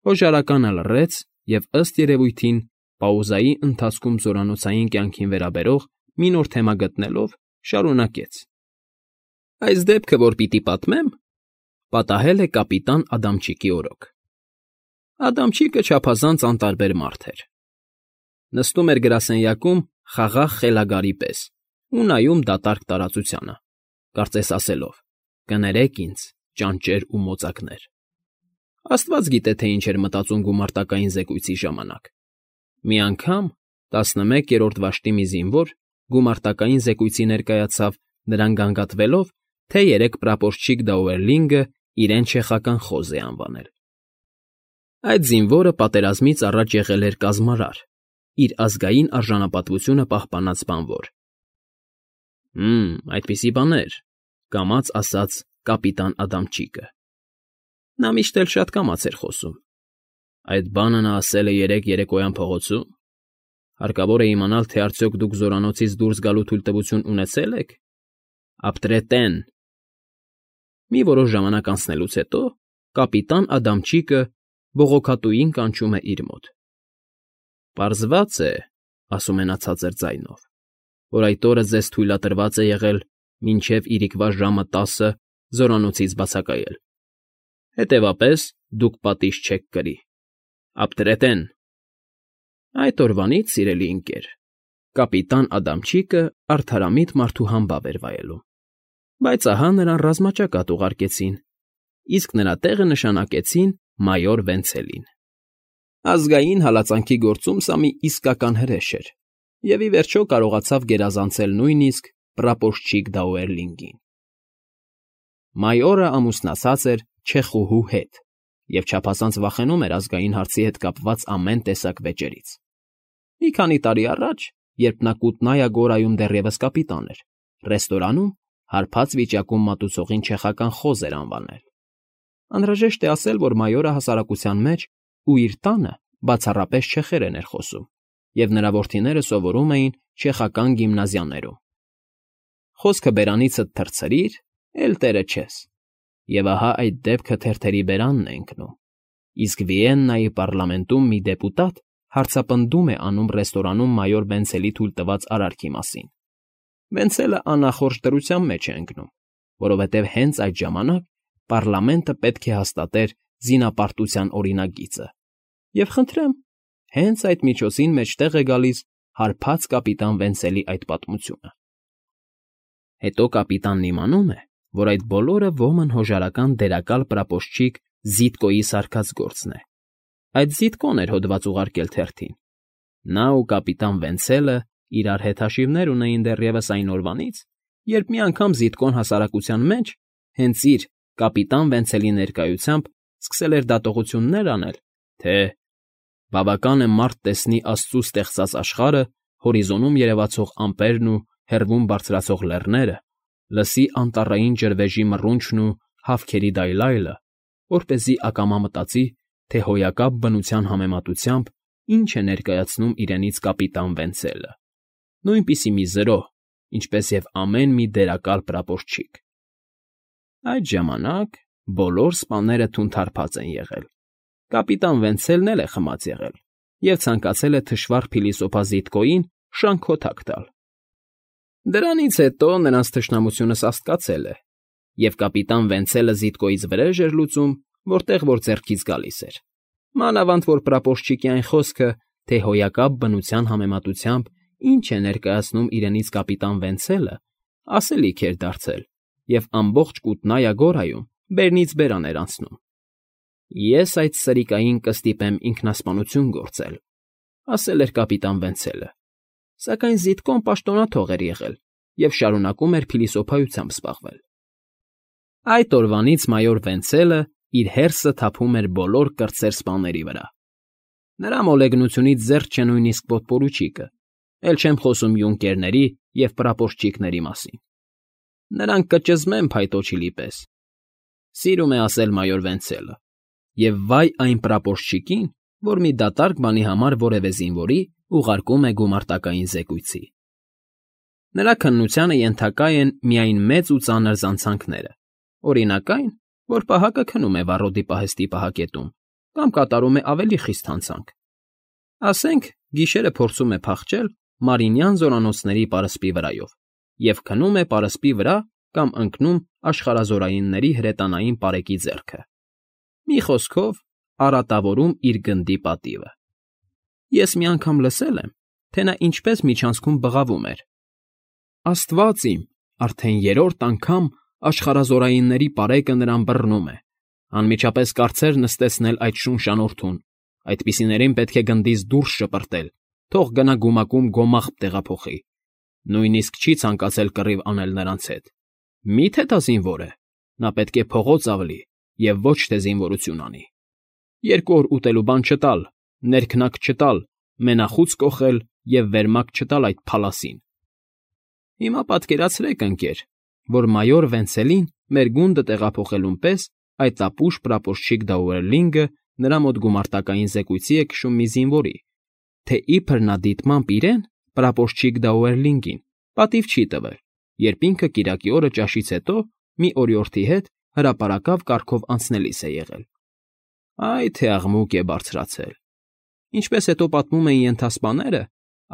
Հոժարականը լռեց և, ըստ երևույթին, պաուզայի ընթացքում զորանոցային կյանքին վերաբերող մի նոր թեմա գտնելով, շարունակեց. ֊ Այս դեպքը, որ պիտի պատմեմ, պատահել է կապիտան Ադամչիկի օրոք։ Ադամչիկը չափազանց անտարբեր մարդ էր. նստում էր գրասենյակում խաղաղ խելագարի պես ու նայում դատարկ տարածությանը, կարծես ասելով. «Կներեք ինձ, ճանճեր ու մոծակներ»։ Աստված գիտե, թե ինչ էր մտածում գումարտակային զեկույցի ժամանակ։ Մի անգամ 11-րդ վաշտի մի զինվոր գումարտակային զեկույցի ներկայացավ, նրան գանգատվելով, թե 3 պրապորչիկ Դաուերլինգը իրեն չեխական խոզ է անվանել։ Այդ զինվորը պատերազմից առաջ եղել էր կազմարար, իր ազգային արժանապատվությունը պահպանած բանվոր։ Այդպիսի բաներ, կամաց ասաց կապիտան Ադամչիկը։ Նա միշտ էլ շատ կամաց էր խոսում։ Այդ բանը նա ասել է երեկոյան փողոցում։ Հարկավոր է իմանալ, թե արդյոք դուք զորանոցից դուրս գալու թույլտվություն ունեցե՞լ եք։ Ապտրետեն։ Մի որոշ ժամանակ անցնելուց հետո կապիտան Ադամչիկը բողոքատուին կանչում է իր մոտ։ Պարզված է, ասում է նա ցածր ձայնով, որ այդ օրը ձեզ թույլատրված է եղել մինչև իրիկվա ժամը 10 զորանոցից բացակայել։ Հետևաբար, դուք պատիժ չեք կրի։ Ապտրետեն։ Այդ օրվանից, սիրելի ընկեր, կապիտան Ադամչիկը արդարամիտ մարդու համբավ էր վայելում, բայց ահա նրան ռազմաճակատ ուղարկեցին, իսկ նրա տեղը նշանակեցին մայոր Վենցելին։ Ազգային հալածանքի գործում սա մի իսկական հրեշ էր, և ի վերջո կարողացավ գերազանցել նույնիսկ պրապորչիկ Դաուերլինգին։ Մայորը ամուսնացած էր չեխուհու հետ և չափազանց վախենում էր ազգային հարցի հետ կապված ամեն տեսակ վեճերից։ Մի քանի տարի առաջ, երբ նա Կուտնայա Գորայում դեռևս կապիտան էր, ռեստորանում հարբած վիճակում մատուցողին չեխական խոզ էր անվանել։ Անհրաժեշտ է ասել, որ մայորը հասարակության մեջ ու իր տանը բացառապես չեխերեն էր խոսում, և նրա որդիները սովորում էին չեխական գիմնազիաներում։ Խոսքը բերանիցդ թռցրիր, էլ տերը չես։ Եվ ահա այդ դեպքը թերթերի բերանն է ընկնում, իսկ Վիեննայի պառլամենտում մի դեպուտատ հարցապնդում է անում ռեստորանում մայոր Վենցելի թույլտված արարքի մասին։ Վենցելը անախորժ դրության մեջ է ընկնում, որովհետև հենց այդ ժամանակ պառլամենտը պետք է հաստատեր զինապարտության օրինագիծը։ Եվ խնդրեմ, հենց այդ միջոցին մեջտեղ է գալիս հարբած կապիտան Վենցելի այդ պատմությունը։ Հետո կապիտանն իմանում է, որ այդ բոլորը ոմն հոժարական դերակալ պրապորչիկ Զիտկոյի սարքած գործն է։ Այդ Զիտկոն էր հոդված ուղարկել թերթին։ Նա ու կապիտան Վենցելը իրար հետ հաշիվներ ունեին դեռևս այն օրվանից, երբ մի անգամ Զիտկոն հասարակության մեջ, հենց իր կապիտան Վենցելի ներկայությամբ սկսել էր դատողություններ անել, թե բավական է մարդ տեսնի աստծու ստեղծած աշխարհը, հորիզոնում երևացող ամպերն ու հեռվում բարձրացող լեռները, լսի անտառային ջրվեժի մռունչն ու հավքերի դայլայլը, որպեսզի ակամա մտածի, թե հոյակապ բնության համեմատությամբ ինչ է ներկայացնում իրենից կապիտան Վենցելը, նույնպիսի մի զրո, ինչպես և ամեն մի դերակալ պրապորչիկ։ Այդ ժամանակ բոլոր սպաները թունթարփած են եղել։ Կապիտան Վենցելն էլ է խմած եղել և ցանկացել է թշվառ փիլիսոփա Զիտկոյին շանքոթակ տալ։ Դրանից հետո նրանց թշնամությունը սաստկացել է, և կապիտան Վենցելը Զիտկոյից վրեժ էր լուծում, որտեղ որ ձեռքից գալիս էր։ Մանավանդ որ պրապորչիկի այն խոսքը, թե հոյակապ բնության համեմատությամբ ինչ է ներկայացնում իրենից կապիտան Վենցելը, ասելիք էր դարձել, և ամբողջ Կուտնայա Գորայում բերնից բերան էր անցնում։ Ես այդ սրիկային կստիպեմ ինքնասպանություն գործել, ասել էր կապիտան Վենցելը, սակայն Զիտկոն պաշտոնաթող էր եղել և շարունակում էր փիլիսոփայությամբ զբաղվել։ Այդ օրվանից մայոր Վենցելը իր հերսը թափում էր բոլոր կրտսեր սպաների վրա։ Նրա մոլեգնությունից զերծ չէ նույնիսկ պոդպորուչիկը, էլ չեմ խոսում յունկերների և պրապորչիկների մասին։ Նրանք կճզմեն փայտոջիլի պես, սիրում է ասել մայոր Վենցելը, և վայ այն պրապորչիկին, որ մի դատարկ բանի համար որևէ զինվորի ուղարկում է գումարտակային զեկույցի։ Նրա քննությանը ենթակա են միայն մեծ ու ծանր զանցանքները, օրինակ այն, որ պահակը քնում է վառոդի պահեստի պահակետում, կամ կատարում է ավելի խիստ հանցանք։ Ասենք, գիշերը փորձում է փախչել Մարինյան զորանոցների պարսպի վրայով և քնում է պարսպի վրա կամ ընկնում աշխարհազորայինների հրետանային պարեկի ձեռքը։ Մի խոսքով, արատավորում իր գնդի պատիվը։ Ես մի անգամ լսել եմ, թե նա ինչպես միջանցքում բղավում էր. «Աստված իմ, արդեն երրորդ անգամ աշխարհազորայինների պարեկը նրան բռնում է, անմիջապես կարծեր նստեցնել այդ շունչ անորդուն, այդպիսիներին պետք է գնդից դուրս շպրտել, թող գնա գումակում գոմաղբ տեղափոխի, նույնիսկ չի ցանկացել կռիվ անել նրանց հետ։ Մի՞թե դա զինվոր է, նա պետք է փողոց ավլի և ոչ թե զինվորություն անի։ 2 օր ուտելու բան չտալ, ներքնակ չտալ, մենախուց կոխել և վերմակ չտալ այդ փալասին»։ Հիմա պատկերացրեք, ընկեր, որ մայոր Վենցելին մեր գունդը տեղափոխելուն պես այդ ապուշ պրապորչիկ Դաուերլինգը նրա մոտ գումարտակային զեկույցի է քշում մի զինվորի, թե իբր նա դիտմամբ իրեն, պրապորչիկ Դաուերլինգին, պատիվ չի տվել, երբ ինքը կիրակի օրը ճաշից հետո մի օրիորդի հետ հրապարակավ կարգով անցնելիս է եղել։ Այ թե աղմուկ է բարձրացել։ Ինչպես հետո պատմում էին ենթասպաները,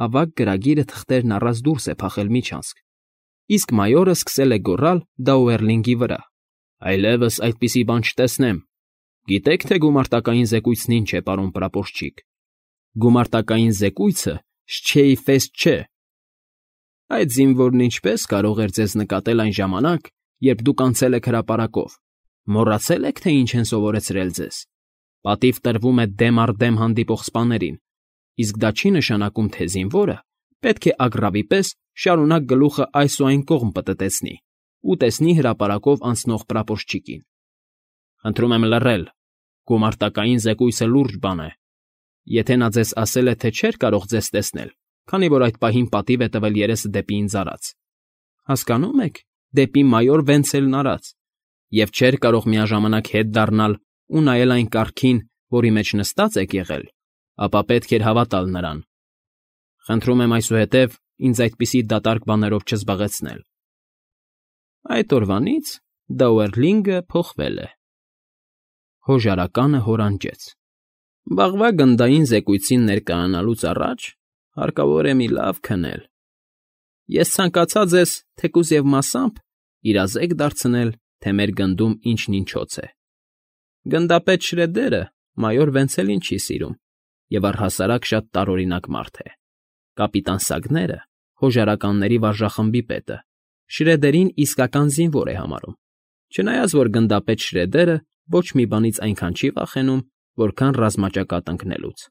ավագ գրագիրը թղթերն առած դուրս է փախել միջանցք, իսկ մայորը սկսել է գոռալ Դաուերլինգի վրա. «Այլևս այդպիսի բան չտեսնեմ։ Գիտեք, թե գումարտակային զեկույցն ինչ է, պարոն պրապորչիկ։ Գումարտակային զեկույցը շչեի ֆեստ չէ։ Այդ զինվորն ինչպես կարող էր ձեզ նկատել այն ժամանակ, երբ դուք անցել եք հրապարակով, մոռացել եք, թե ինչ են սովորեցրել ձեզ։ Պատիվ տրվում է դեմ առ դեմ հանդիպող սպաներին, իսկ դա չի նշանակում, թե զինվորը պետք է ագռավի պես շարունակ գլուխը այս ու այն կողմ պտտեցնի ու տեսնի հրապարակով անցնող պրապորչիկին։ Խնդրում եմ լռել, գումարտակային զեկույցը լուրջ բան է։ Եթե նա ձեզ ասել է, թե չէր կարող ձեզ տեսնել, քանի որ այդ պահին պատիվ է տվել երեսը դեպի ինձ արած, հասկանո՞ւմ եք, դեպի մայոր Վենցելն արած, և չէր կարող միաժամանակ հետ դառնալ ու նայել այն կառքին, որի մեջ նստած եք եղել, ապա պետք էր հավատալ նրան։ Խնդրում եմ այսուհետև ինձ այդպիսի դատարկ բաներով չզբաղեցնել»։ Այդ օրվանից Դաուերլինգը փոխվել է։ Հոժարականը հորանջեց. «Վաղվա գնդային զեկույցին ներկայանալուց առաջ հարկավոր է մի լավ քնել։ Ես ցանկացա ձեզ, թեկուզ և մասամբ, իրազեկ դարձնել, թե մեր գնդում ինչն ինչոց է։ Գնդապետ Շրեդերը մայոր Վենցելին չի սիրում և առհասարակ շատ տարօրինակ մարդ է։ Կապիտան Սագները, հոժարականների վարժախմբի պետը, Շրեդերին իսկական զինվոր է համարում, չնայած որ գնդապետ Շրեդերը ոչ մի բանից այնքան չի վախենում, որքան ռազմաճակատ ընկնելուց։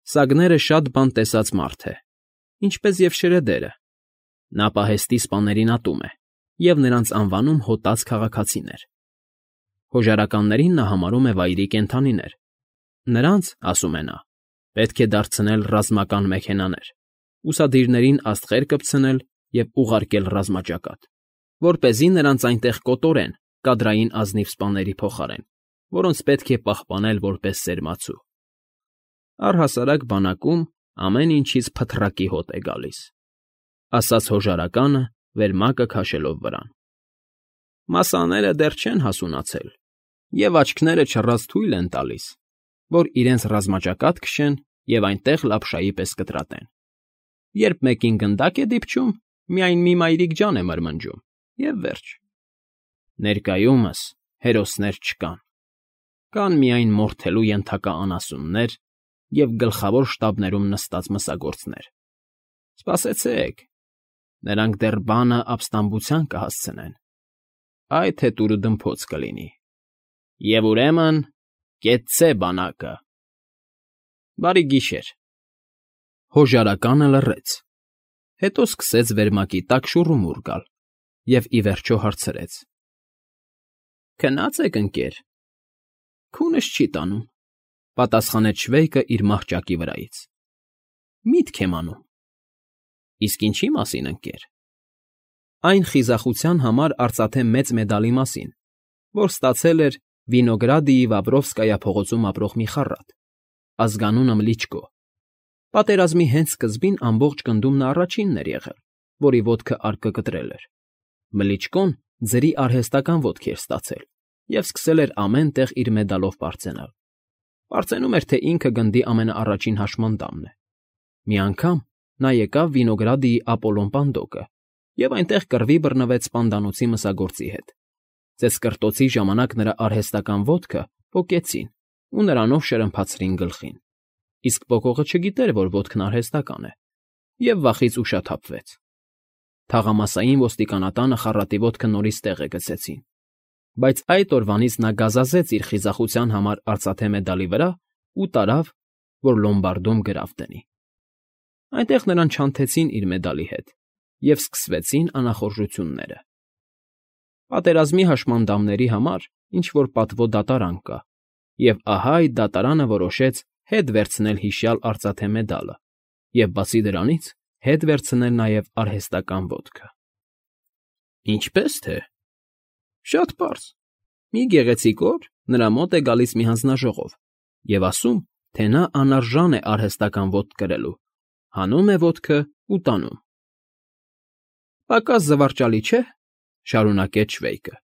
Սագները շատ բան տեսած մարդ է, ինչպես և Շրեդերը։ Նա պահեստի սպաներին ատում է և նրանց անվանում հոտած քաղաքացիներ։ Հոժարականներին նա համարում է վայրի կենդանիներ։ Նրանց, ասում է նա, պետք է դարձնել ռազմական մեքենաներ, ուսադիրներին աստղեր կպցնել և ուղարկել ռազմաճակատ, որպեսզի նրանց այնտեղ կոտորեն կադրային ազնիվ սպաների փոխարեն, որոնց պետք է պահպանել որպես սերմացու։ Առհասարակ բանակում ամեն ինչից փթռակի հոտ է գալիս», ասաց հոժարականը, վերմակը քաշելով վրան։ «Մասաները դեռ չեն հասունացել և աչքները չռած թույլ են տալիս, որ իրենց ռազմաճակատ քշեն և այնտեղ լապշայի պես կտրատեն։ Երբ մեկին գնդակ է դիպչում, միայն մի մայրիկ ջան է մրմնջում, և վերջ։ Ներկայումս հերոսներ չկան, կան միայն մորթելու ենթակա անասուններ և գլխավոր շտաբներում նստած մսագործներ։ Սպասեցեք, նրանք դեռ բանը ապստամբության կհասցնեն, այդ հետ ուրդմփոց կլինի։ Եվ ուրեմն կեցցե բանակը։ Բարի գիշեր»։ Հոժարականը լռեց, հետո սկսեց վերմակի տակ շուռումուռ գալ և ի վերջո հարցրեց. «Քնա՞ծ եք, ընկեր»։ «Քունս չի տանում», պատասխանեց շվեյկը իր մահճակի վրայից։ «Միտք եմ անում»։ «Իսկ ինչի՞ մասին, ընկեր»։ Այն խիզախության համար արծաթե մեծ մեդալի մասին, որ ստացել էր Վինոգրադիի Վավրովսկայա փողոցում ապրող մի խառատ, ազգանունը Մլիչկո։ Պատերազմի հենց սկզբին ամբողջ գնդում նա առաջինն էր եղել, որի ոտքը արկը կտրել էր։ Մլիչկոն ձրի արհեստական ոտք էր ստացել և սկսել էր ամեն տեղ իր մեդալով պարծենալ։ Պարծենում էր, թե ինքը գնդի ամենաառաջին հաշմանդամն է։ Մի անգամ նա եկավ Վինոգրադիի Ապոլոն պանդոկը և այնտեղ կռվի բռնվեց պանդանոցի մսագործի հետ։ Ծեծկռտոցի ժամանակ նրա արհեստական ոտքը պոկեցին ու նրանով շրմփացրին գլխին, իսկ պոկողը չգիտեր, որ ոտքն արհեստական է, և վախից ուշաթափվեց։ Թաղամասային ոստիկանատանը խառատի ոտքը նորից տեղը գցեցին, բայց այդ օրվանից նա գազազեց իր խիզախության համար արծաթե մեդալի վրա ու տարավ, որ լոմբարդում գրավ դնի։ Այնտեղ նրան չանթեցին իր մեդալի հետ, և սկսվեցին անախորժությունները։ Պատերազմի հաշմանդամների համար ինչ֊որ պատվո դատարան կա, և ահա այդ դատարանը որոշեց հետ վերցնել հիշյալ արծաթե մեդալը և, բացի դրանից, հետ վերցնել նաև արհեստական ոտքը։ Ինչպե՞ս թե։ Շատ պարզ։ Մի գեղեցիկ օր նրա մոտ է գալիս մի հանձնաժողով և ասում, թե նա անարժան է արհեստական ոտք կրելու, հանում է ոտքը ու տանում։ «Պակաս զվարճալի չէ,֊ շարունակեց Շվեյկը,֊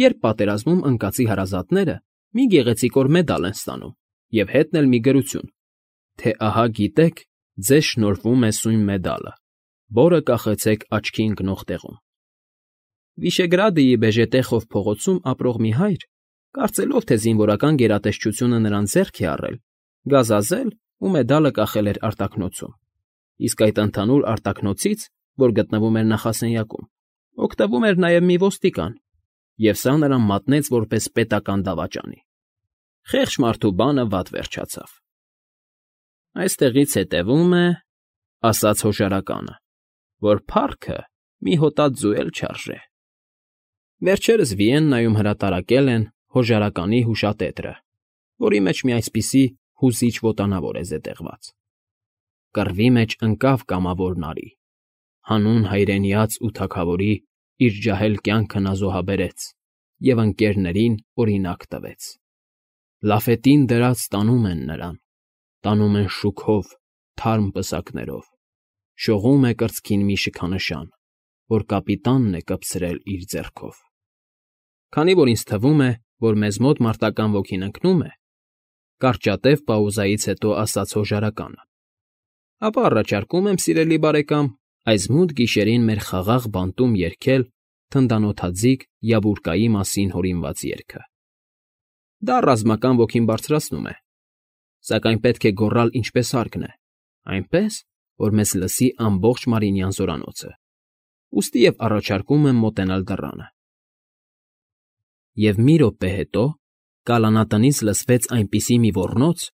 երբ պատերազմում ընկածի հարազատները մի գեղեցիկոր մեդալ են ստանում և հետն էլ մի գրություն, թե ահա գիտեք, ձեզ շնորհվում է սույն մեդալը, որը կախեցեք աչքի ընկնող տեղում»։ Վիշեգրադիի Բեժետեխով փողոցում ապրող մի հայր, կարծելով, թե զինվորական գերատեսչությունը նրան ձեռք է առել, գազազել ու մեդալը կախել էր արտաքնոցում, իսկ այդ ընդհանուր արտաքնոցից, որ գտնվում էր նախասենյակում, օգտվում էր նաև մի ոստիկան, և սա նրան մատնեց որպես պետական դավաճանի։ Խեղճ մարդու բանը վատ վերջացավ։ «Այստեղից հետևում է,֊ ասաց հոժարականը,֊ որ փառքը մի հոտած ձու էլ չարժե»։ Վերջերս Վիեննայում հրատարակել են «Հոժարականի հուշատետրը», որի մեջ մի այսպիսի հուզիչ ոտանավոր է զետեղված. Կռվի մեջ ընկավ կամավոր նարի, հանուն հայրենյաց ու թագավորի իր ջահել կյանքը նա զոհաբերեց և ընկերներին օրինակ տվեց։ Լաֆետին դրած տանում են նրան, տանում են շուքով, թարմ պսակներով, շողում է կրծքին մի շքանշան, որ կապիտանն է կպցրել իր ձեռքով։ Քանի որ ինձ թվում է, որ մեզ մոտ մարտական ոգին ընկնում է, կարճատև պաուզայից հետո ասաց հոժարականը, ապա առաջարկում եմ, սիրելի բարեկամ, այս մութ գիշերին մեր խաղաղ բանտում երգել թնդանոթաձիգ Յաբուրկայի մասին հորինված երգը։ Դա ռազմական ոգին բարձրացնում է, սակայն պետք է գոռալ ինչպես հարկն է, այնպես, որ մեզ լսի ամբողջ Մարինյան զորանոցը, ուստի և առաջարկում եմ մոտենալ դռանը։ Եվ մի րոպե հետո կալանատնից լսվեց այնպիսի մի ոռնոց,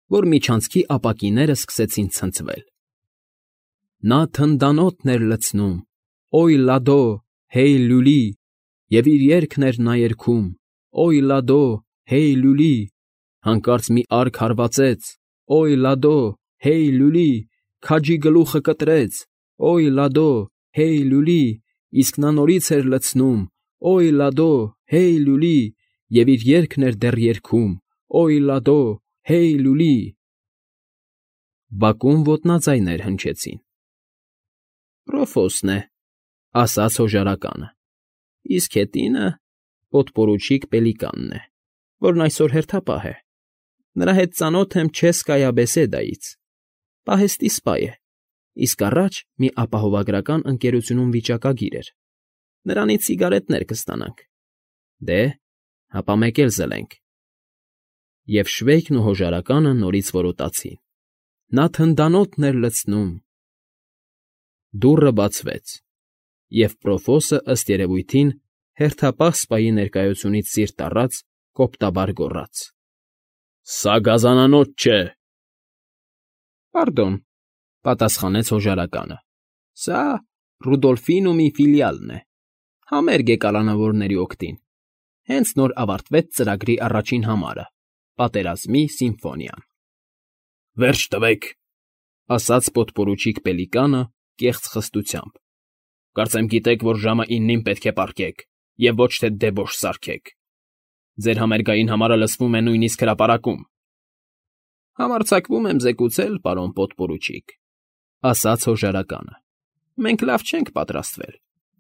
որ միջանցքի ապակիները սկսեցին ցնցվել։ Նա թնդանոթն էր լցնում, «Օյ լադո, հեյ լուլի», և իր երգն էր նա երգում, «Օյ լադո, հեյ լուլի», հանկարծ մի արկ հարվածեց, «Օյ լադո, հեյ լուլի», քաջի գլուխը կտրեց, «Օյ լադո, հեյ լուլի», իսկ նա նորից էր լցնում, «Օյ լադո, հեյ լուլի», և իր երգն էր դեռ երգում, «Օյ լադո, հեյ լուլի»։ Բակում ոտնաձայներ հնչեցին։ «Պրոֆոսն է,֊ ասաց հոժարականը,֊ իսկ հետինը պոդպորուչիկ Պելիկանն է, որն այսօր հերթապահ է։ Նրա հետ ծանոթ եմ Չեսկայա Բեսեդայից, պահեստի սպա է, իսկ առաջ մի ապահովագրական ընկերությունում վիճակագիր էր։ Նրանից սիգարետներ կստանանք։ Դե, հապա մեկ էլ զլենք։ Եվ Շվեյկն ու հոժարականը նորից որոտացին. Նա թնդանոթն էր լցնում։ Դուռը բացվեց, և Պրոֆոսը, ըստ երևույթին, հերթապահ սպայի ներկայությունից սիրտ առած, կոպտաբար գոռաց. «Սա գազանանոց չէ»։ «Պարդոն,֊ պատասխանեց հոժարականը,֊ սա Ռուդոլֆինումի ֆիլիալն է, համերգ է կալանավորների օգտին, հենց նոր ավարտվեց ծրագրի առաջին համարը, Պատերազմի սիմֆոնիան»։ «Վերջ տվեք,֊ ասաց պոդպորուչիկ Պելիկանը կեղծ խստությամբ,֊ կարծեմ գիտեք, որ ժամը 9-ին պետք է պառկեք և ոչ թե դեբոշ սարքեք։ Ձեր համերգային համարը լսվում է նույնիսկ հրապարակում»։ «Համարձակվում եմ զեկուցել, պարոն պոդպորուչիկ,֊ ասաց հոժարականը,֊ մենք լավ չենք պատրաստվել,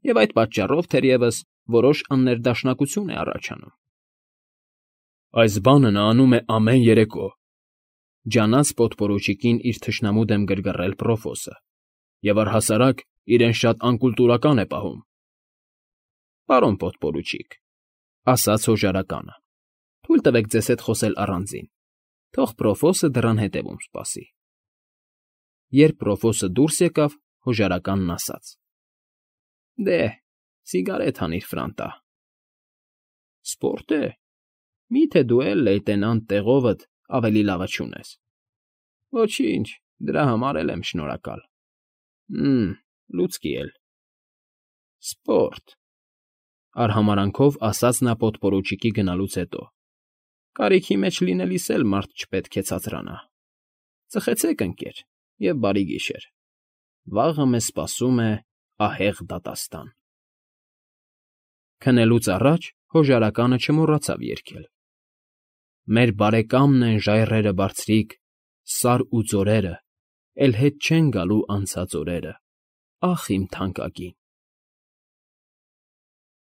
և այդ պատճառով, թերևս, որոշ աններդաշնակություն է առաջանում»։ Այս բանը նա անում է ամեն երեկո,֊ ջանաց պոդպորուչիկին իր թշնամու դեմ գրգռել Պրոֆոսը,֊ և առհասարակ իրեն շատ անկուլտուրական է պահում։ ֊ Պարոն պոդպորուչիկ,֊ ասաց հոժարականը,֊ թույլ տվեք ձեզ հետ խոսել առանձին, թող Պրոֆոսը դռան հետևում սպասի։ Երբ Պրոֆոսը դուրս եկավ, հոժարականն ասաց. «Դե, սիգարետ հանիր, Ֆրանտա»։ ֊ Սպորտ է, մի՞թե դու էլ, լեյտենանտ, տեղովդ ավելի լավը չունես։ ֊ Ոչինչ, դրա համար էլ եմ շնորհակալ։ ֊ Լուցկի էլ։ ֊ Սպորտ,֊ արհամարանքով ասաց նա պոդպորուչիկի գնալուց հետո,֊ կարիքի մեջ լինելիս էլ մարդ չպետք է ցածրանա։ Ծխեցեք, ընկեր, և բարի գիշեր։ Վաղը մեզ սպասում է ահեղ դատաստան։ Քնելուց առաջ հոժարականը չմոռացավ երգել. Մեր բարեկամն են ժայռերը բարձրիկ, սար ու ձորերը, էլ հետ չեն գալու անցած օրերը, ախ իմ թանկագին։